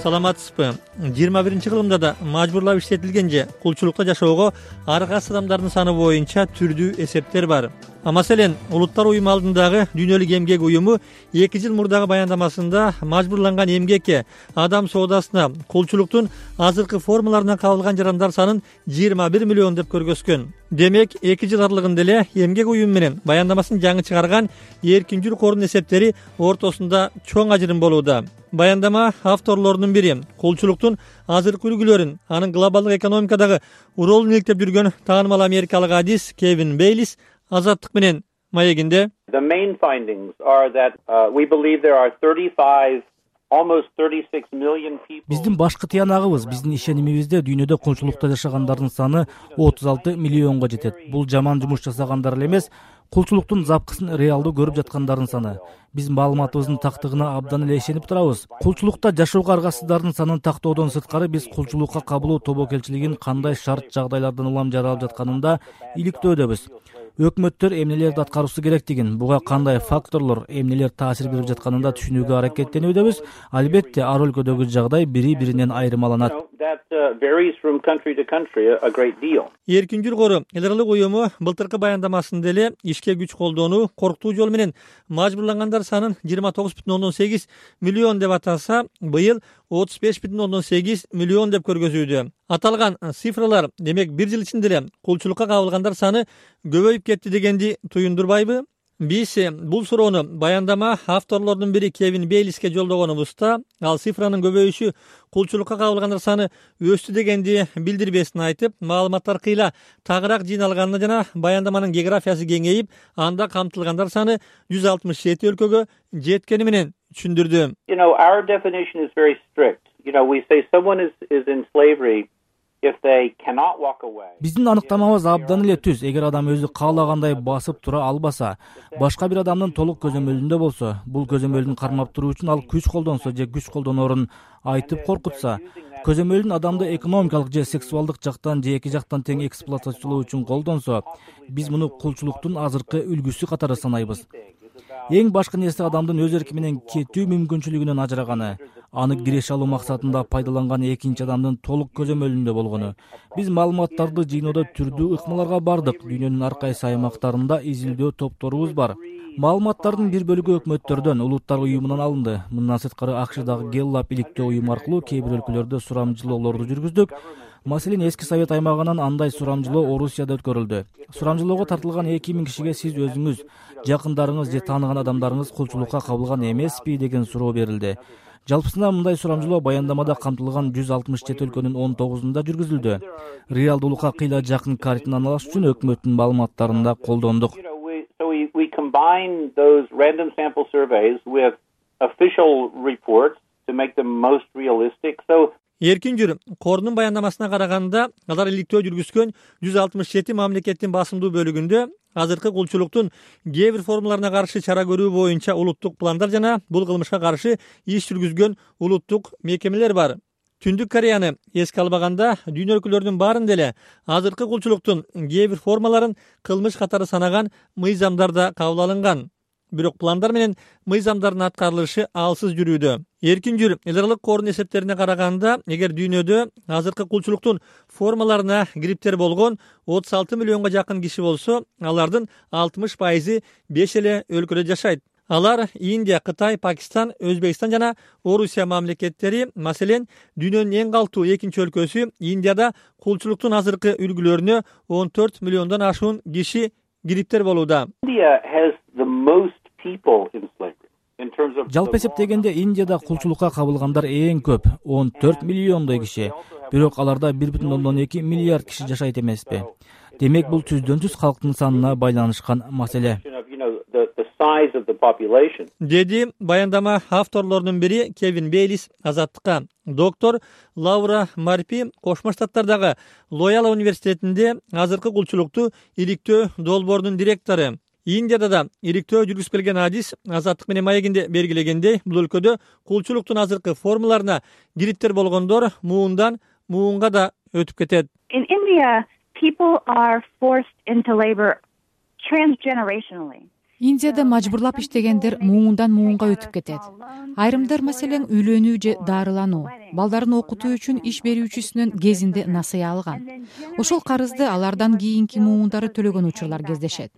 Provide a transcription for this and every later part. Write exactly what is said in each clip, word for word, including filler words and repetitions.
саламатсызбы? жыйырма биринчи кылымда да мажбурлап иштетилген же кулчулукта жашоого ар кайсы адамдардын саны боюнча түрдүү эсептер бар. Маселен, Улуттар уюму алдындагы дүйнөлүк эмгек уюму эки жыл мурдагы баяндамасында мажбурланган эмгекке, адам соодасына, кулчулуктун азыркы формаларынан кабылган жарандар санын жыйырма бир миллион деп көргөзгөн. Демек, эки жыл аралыгында эле эмгек уюму менен баяндамасын жаңы чыгарган Эркинчүл кордун эсептери ортосунда чоң ажырым болууда. Баяндама авторлорунун бири кулчулуктун азыркы үлгүлөрүн, анын глобалдык экономикадагы ролун иликтеп жүргөн таанымал америкалык адис Кевин Бейлис Азаттык менен маегинде The main findings are that uh, we believe there are thirty-five almost thirty-six million people. Биздин башкы тыянагыбыз, биздин ишенимибизде дүйнөдө кулчулукта жашагандардын саны отуз алты миллионго жетет. Бул жаман жумуш жасагандар эле эмес, кулчулуктун запкысын реалдуу көрүп жаткандардын саны. Биз маалыматыбыздын тактыгына абдан эле ишенип турабыз. Кулчулукта жашоого аргасыздардын санын тактоодон сырткары биз кулчулукка кабылуу тобокелчилигин кандай шарт жагдайлардан улам жаралып жатканында иликтөөдөбүз. Өкмөттөр эмнелерди аткаруусу керектигин, буга кандай факторлор, эмнелер таасир берип жатканында түшүнүүгө аракеттенүүдөбүз. Албетте, ар өлкөдөгү жагдай бири-биринен айырмаланат. Эркинчүл кору эл аралык уюму былтыркы баяндамасында эле ишке күч колдонуу, коркутуу жол менен мажбурлангандар санын жыйырма тогуз бүтүн ондон сегиз миллион деп атаса, быйыл отуз беш бүтүн ондон сегиз миллион деп көргөзүүдө. Аталган цифралар демек бир жыл ичинде эле кулчулукка кабылгандар саны көбөйүп кетти дегенди туюндурбайбы? Биз бул суроону баяндама авторлорунун бири Кевин Бейлиске жолдогонубузда, ал цифранын көбөйүшү кулчулукка кабылгандар саны өстү дегенди билдирбесин айтып, маалыматтар кыйла тагыраак жыйналганына жана баяндаманын географиясы кеңейип, анда камтылгандар саны жүз алтымыш жети өлкөгө жеткени менен түшүндүрдү. You know, our definition is very strict. You know, we say someone is is in slavery if they cannot walk away. Биздин аныктамабыз абдан эле түз. Эгер адам өзү каалагандай басып тура албаса, башка бир адамдын толук көзөмөлүндө болсо, бул көзөмөлдүн кармап туруу үчүн ал күч колдонсо же күч колдоноорун айтып коркутса, көзөмөлдүн адамды экономикалык же сексуалдык жактан же эки жактан тең эксплуатациялоо үчүн колдонсо, биз муну кулчулуктун азыркы үлгүсү катары санайбыз. Эң башкы нерсе адамдын өз эрки менен кетүү мүмкүнчүлүгүнөн ажыраганы, аны киреше алуу максатында пайдаланган экинчи адамдын толук көзөмөлүндө болгону. Биз маалыматтарды жыйноодо түрдүү ыкмаларга бардык. Дүйнөнүн ар кайсы аймактарында изилдөө топторубуз бар. Маалыматтардын бир бөлүгү өкмөттөрдөн, Улуттар уюмунан алынды. Мындан сырткары АКШдагы Гэллап иликтөө уюму аркылуу кээ бир өлкөлөрдө сурамжылоолорду жүргүздүк. Маселен, эски Совет аймагынан андай сурамжылоо Орусияда өткөрүлдү. Сурамжылоого тартылган эки миң кишиге сиз өзүңүз, жакындарыңыз же тааныган адамдарыңыз кулчулукка кабылган эмеспи деген суроо берилди. Жалпысында мындай сурамжылоо баяндамада камтылган жүз алтымыш жети өлкөнүн он тогузунда жүргүзүлдү. Реалдуулукка кыйла жакын картина аналаш үчүн өкмөттүн маалыматтарын да колдондук. So we we combine those random sample surveys with official reports to make them most realistic. So Эркинчүл кордун баяндамасына караганда, алар иликтөө жүргүзгөн жүз алтымыш жети мамлекеттин басымдуу бөлүгүндө азыркы кулчулуктун кээ бир формаларына каршы чара көрүү боюнча улуттук пландар жана бул кылмышка каршы иш жүргүзгөн улуттук мекемелер бар. Түндүк Кореяны эске албаганда, дүйнө өлкөлөрүнүн баарында эле азыркы кулчулуктун кээ бир формаларын кылмыш катары санаган мыйзамдар да кабыл алынган. Бирок пландар менен мыйзамдардын аткарылышы алсыз жүрүүдө. Эркинчүл эл аралык кордун эсептерине караганда, эгер дүйнөдө азыркы кулчулуктун формаларына гриптер болгон отуз алты миллионго жакын киши болсо, алардын алтымыш пайызы беш эле өлкөдө жашайт. Алар Индия, Кытай, Пакистан, Өзбекстан жана Орусия мамлекеттери. Маселен, дүйнөнүн эң калктуу экинчи өлкөсү Индияда кулчулуктун азыркы үлгүлөрүнө он төрт миллиондон ашуун киши гриптер болууда. India has the most people in slavery. Жалпы эсептегенде Индияда кулчулукка кабылгандар эң көп, он төрт миллиондой киши. Бирок аларда бир бүтүн ондон эки миллиард киши жашайт эмеспи? Демек бул түздөн түз калктын санына байланышкан маселе. Деди баяндама авторлорунун бири Кевин Бейлис Азаттыкка. Доктор Лаура Марпи Кошмо Штаттардагы Лояла университетинде азыркы кулчулукту иликтөө долбоорунун директору. Индияда да иликтөө жүргүзүп келген адис Азаттык менен маегинде белгилегендей, бул өлкөдө кулчулуктун азыркы формаларына гриптер болгондор муундан муунга да өтүп кетет. In India, people are forced into labor transgenerationally. Индияда мажбурлап иштегендер муундан муунга өтүп кетет. Айрымдар маселен үйлөнүү же дарылануу, балдарын окутуу үчүн иш берүүчүсүнөн кезинде насыя алган. Ошол карызды алардан кийинки муундары төлөгөн учурлар кездешет.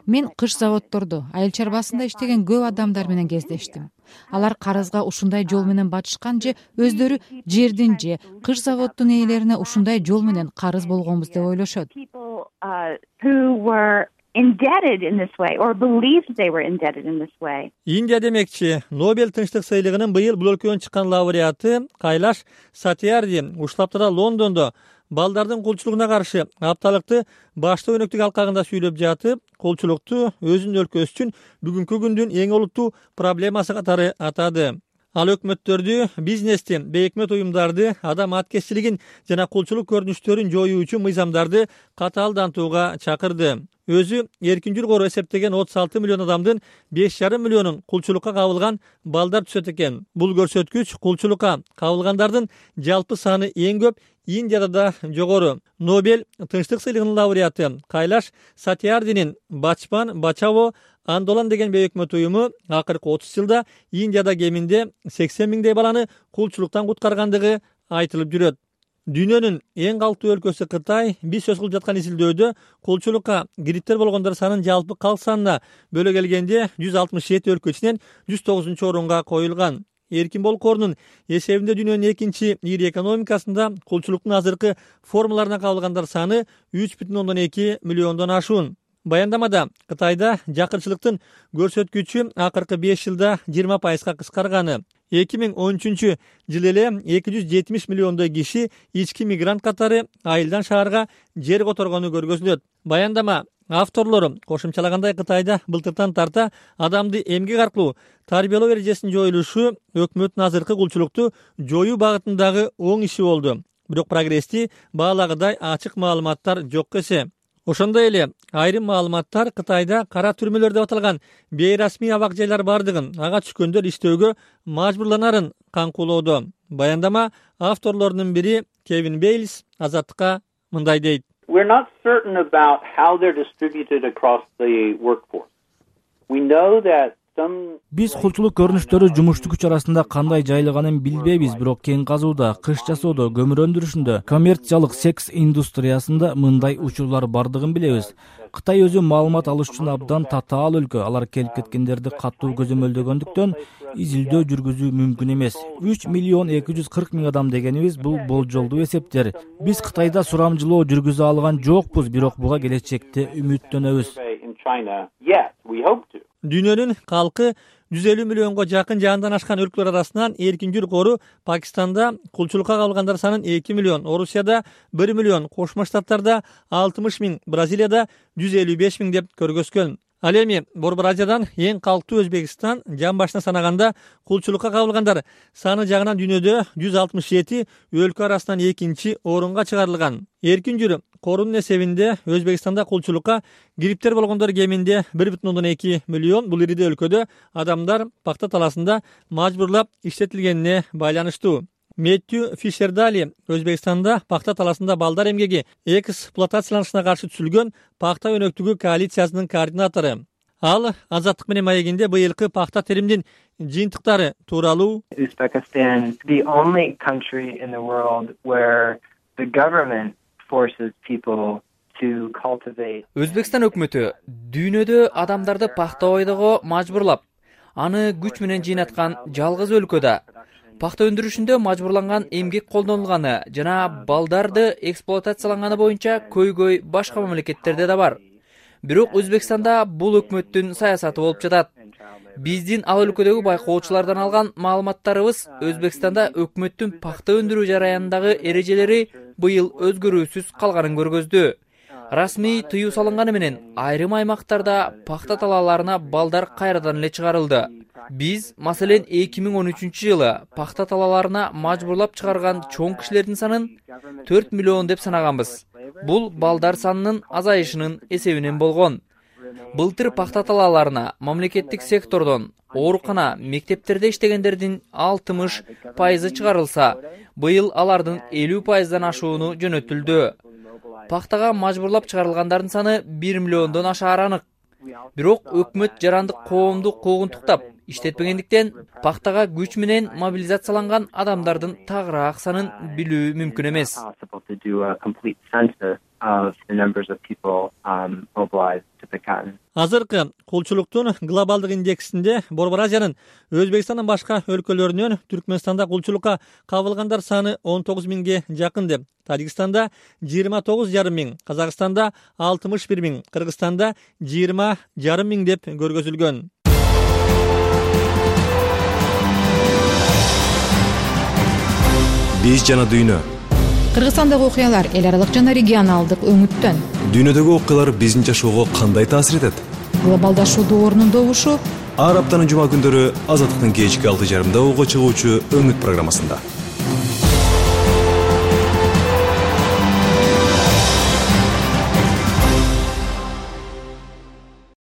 Мен кыш заводдорду, айыл чарбасында иштеген көп адамдар менен кездештим. Алар карызга ушундай жол менен батышкан же өздөрү жердин же кыш заводдун ээлерине ушундай жол менен карыз болгонбуз деп ойлошот. Indebted in this way or believed they were indebted in this way. Индия демекчи, Нобель тынчтык сыйлыгынын быйыл бул өлкөнүн чыккан лауреаты Кайлаш Сатьярди уштаптыра Лондондо балдардын кулчулугуна каршы апталыкты башты өнөктүк алкагында сүйлөп жатып, кулчулукту өзүнүн өлкөсү үчүн бүгүнкү күндүн эң олуттуу проблемасы катары атады. Ал өкмөттөрдү, бизнести, бейөкмөт уюмдарды, адам аткезчилигин жана кулчулук көрүнүштөрүн жоюу үчүн мыйзамдарды катаалдантууга чакырды. Өзү эркин жургору эсептеген отуз алты миллион адамдын беш жарым миллионун кулчулукка кабылган балдар түзөт экен. Бул көрсөткүч кулчулукка кабылгандардын жалпы саны эң көп Индияда да жогору. Нобель тынчтык сыйлыгынын лауреаты Кайлаш Сатьярдинин Бачпан Бачаво Андолан деген бейөкмөт уюму акыркы отуз жылда Индияда кеминде сексен миңдей баланы кулчулуктан куткаргандыгы айтылып жүрөт. Дүйнөнүн эң калктуу өлкөсү Кытай биз сөз кылып жаткан изилдөөдө кулчулукка кириптер болгондор санын жалпы калк санына бөлө келгенде жүз алтымыш жети өлкө ичинен жүз тогузунчу орунга коюлган. Эркин болук корунун эсебинде дүйнөнүн экинчи ири экономикасында кулчулуктун азыркы формаларына кабылгандар саны үч бүтүн ондон эки миллиондон ашуун. Баяндамада Кытайда жакырчылыктын көрсөткүчү акыркы беш жылда жыйырма пайызга кыскарганы, эки миң он үчүнчү жылы эле эки жүз жетимиш миллиондой киши ички мигрант катары айылдан шаарга жер которгону көргөзүлөт. Баяндама авторлору кошумчалагандай Кытайда былтыртан тарта адамды эмгек аркылуу тарбиялоо эрежесинин жоюлушу өкмөттүн азыркы кулчулукту жоюу багытындагы оң иши болду. Бирок прогрессти баалагыдай ачык маалыматтар жок эсе. Ошондой эле айрым маалыматтар Кытайда кара түрмөлөр деп аталган бейрасмий абак жайлар бардыгын, ага түшкөндөр иштөөгө мажбурланарын каңкулоодо. Баяндама авторлорунун бири Кевин Бейлс Азаттыкка мындай дейт. We're not certain about how they're distributed across the workforce. We know that Биз кулчулук көрүнүштөрү жумуштуу күч арасында кандай жайылганын билбейбиз, бирок кен казууда, кыш жасоодо, көмүр өндүрүшүндө, коммерциялык секс индустриясында мындай учурлар бардыгын билебиз. Кытай өзү маалымат алыш үчүн абдан татаал өлкө. Алар келип кеткендерди катуу көзөмөлдөгөндүктөн изилдөө жүргүзүү мүмкүн эмес. үч миллион эки жүз кырк миң адам дегенибиз бул болжолдуу эсептер. Биз Кытайда сурамжылоо жүргүзө алган жокпуз, бирок буга келечекте үмүттөнөбүз. Дүйнөнүн калкы жүз элүү миллионго жакын жаандан ашкан өлкөлөр арасынан эркин жургору Пакистанда кулчулукка кабылгандар санын эки миллион, Орусияда бир миллион, Кошмо Штаттарда алтымыш миң, Бразилияда жүз элүү беш миң деп көргөзгөн. Ал эми Борбор Азиядан эң калктуу Өзбекстан жан башына санаганда кулчулукка кабылгандар саны жагынан дүйнөдө жүз алтымыш жети өлкө арасынан экинчи орунга чыгарылган. Эркин жүрү корунун эсебинде Өзбекстанда кулчулукка кириптер болгондор кеминде бир бүтүн ондон эки миллион. Бул ириде өлкөдө адамдар пахта таласында мажбурлап иштетилгенине байланыштуу. Меттью Фишердали Өзбекстанда пахта таласында балдар эмгеги эксплуатацияланышына каршы түзүлгөн пахта өнөктүгү коалициясынын координатору. Ал Азаттык менен маегинде быйылкы пахта теримдин жыйынтыктары тууралуу Uzbekistan is the only country in the world where the government forces people to cultivate. Өзбекстан өкмөтү дүйнөдө адамдарды пахта ойдого мажбурлап, аны күч менен жыйнаткан жалгыз өлкөдө. Пахта өндүрүшүндө мажбурланган эмгек колдонулганы жана балдарды эксплуатацияланганы боюнча көйгөй башка мамлекеттерде да бар. Бирок Өзбекстанда бул өкмөттүн саясаты болуп жатат. Биздин ал өлкөдөгү байкоочулардан алган маалыматтарыбыз Өзбекстанда өкмөттүн пахта өндүрүү жараянындагы эрежелери быйыл өзгөрүүсүз калганын көргөздү. Расмий тыюу салынганы менен айрым аймактарда пахта талааларына балдар кайрадан эле чыгарылды. Биз, маселен, эки миң он үчүнчү жылы пахта талааларына мажбурлап чыгарган чоң кишилердин санын төрт миллион деп санаганбыз. Бул балдар санынын азайышынын эсебинен болгон. Былтыр пахта талааларына мамлекеттик сектордон, оорукана, мектептерде иштегендердин алтымыш пайызы чыгарылса, быйыл алардын элүү пайыздан ашууну жөнөтүлдү. Пахтага мажбурлап чыгарылгандардын саны бир миллиондон ашаар анык. Бирок өкмөт жарандык коомду куугунтуктап иштетпегендиктен пахтага күч менен мобилизацияланган адамдардын тагыраак санын билүү мүмкүн эмес. Азыркы кулчулуктун глобалдык индексинде Борбор Азиянын Өзбекстандын башка өлкөлөрүнөн Түркмөнстанда кулчулукка кабылгандар саны он тогуз миңге жакын деп, Тажикстанда жыйырма тогуз жарым миң, Казакстанда алтымыш бир миң, Кыргызстанда жыйырма жарым миң деп көргөзүлгөн. Биз жана дүйнө. Кыргызстандагы окуялар эл аралык жана регионалдык өңүттөн. Дүйнөдөгү окуялар биздин жашоого кандай таасир этет? Глобалдашуу доорунун добушу ар аптанын жума күндөрү Азаттыктын кечки алты жарымда угуп чыгуучу Өңүт программасында.